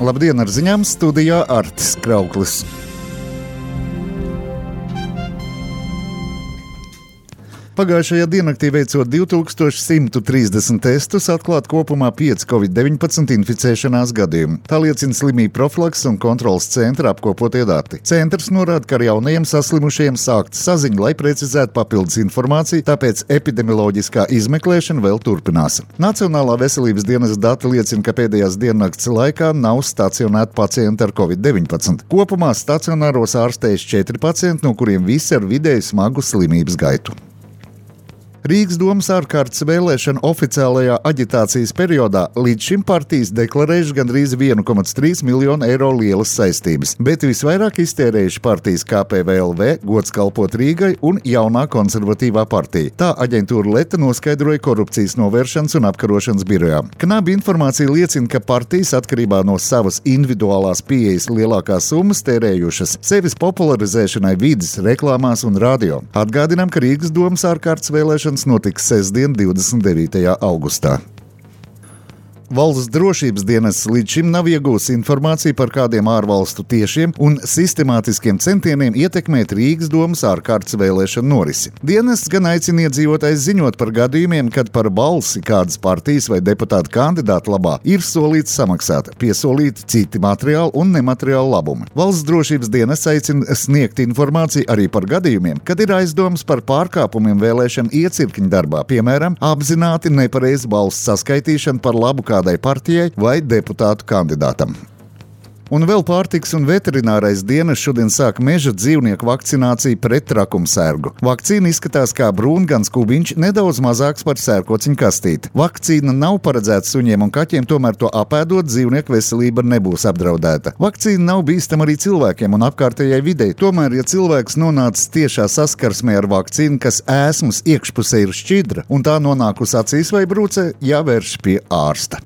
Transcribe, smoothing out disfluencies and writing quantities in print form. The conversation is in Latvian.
Labdien, ar ziņām studijā Artis Krauklis. Pagājušajā diennaktī veicot 2130 testus, atklāt kopumā 5 COVID-19 inficēšanās gadījumi. Tā liecina slimību profilakses un kontrolas centra apkopotie dati. Centrs norāda, ka ar jaunajiem saslimušajiem sākta saziņa, lai precizētu papildus informāciju, tāpēc epidemioloģiskā izmeklēšana vēl turpinās. Nacionālā veselības dienesta dati liecina, ka pēdējās diennakts laikā nav stacionēti pacienti ar COVID-19. Kopumā stacionāros ārstējas 4 pacienti, no kuriem visi ar vidēji smagu slimības gaitu. Rīgas domas ārkārtas vēlēšanu oficiālajā aģitācijas periodā līdz šim partijas deklarējuši gandrīz 1,3 miljonu eiro lielas saistības, bet visvairāk iztērējuši partijas KPVLV, Gods kalpot Rīgai un jaunā konservatīvā partija. Tā aģentūra Leta noskaidroja korupcijas novēršanas un apkarošanas birojā. Knabi informācija liecina, ka partijas atkarībā no savas individuālās pieejas lielākās summas tērējušas sevis popularizēšanai vides, reklāmās un radio. Atgādinām, ka Rīgas domas ārkārtas vēlēšanas notiks sestdien, 29. augustā. Valsts drošības dienests līdz šim nav iegūsi informāciju par kādiem ārvalstu tiešiem un sistemātiskiem centieniem ietekmēt Rīgas domas ārkārtas vēlēšanu norisi. Dienests gan aicina iedzīvotājus ziņot par gadījumiem, kad par balsi kādas partijas vai deputāta kandidāta labā ir solīts samaksāt, piesolīti citi materiāli un nemateriāli labumi. Valsts drošības dienests aicina sniegt informāciju arī par gadījumiem, kad ir aizdomas par pārkāpumiem vēlēšanu iecirkņu darbā, piemēram, apzināti nepareizu balsu saskaitīšanu par labu kādai partijai vai deputātu kandidātam. Un vēl pārtikas un veterinārais dienests šodien sāk meža dzīvnieku vakcināciju pret trakumsērgu. Vakcīna izskatās kā brūngans kubiņš, nedaudz mazāks par sērkociņu kastīti. Vakcīna nav paredzēta suņiem un kaķiem, tomēr to apēdot dzīvnieku veselība nebūs apdraudēta. Vakcīna nav bīstama arī cilvēkiem un apkārtējai videi. Tomēr, ja cilvēks nonācis tiešā saskarsmē ar vakcīnu, kas ēsmas iekšpusē ir šķidra un tā nonākusi acīs vai brūcē, jāvērš pie ārsta.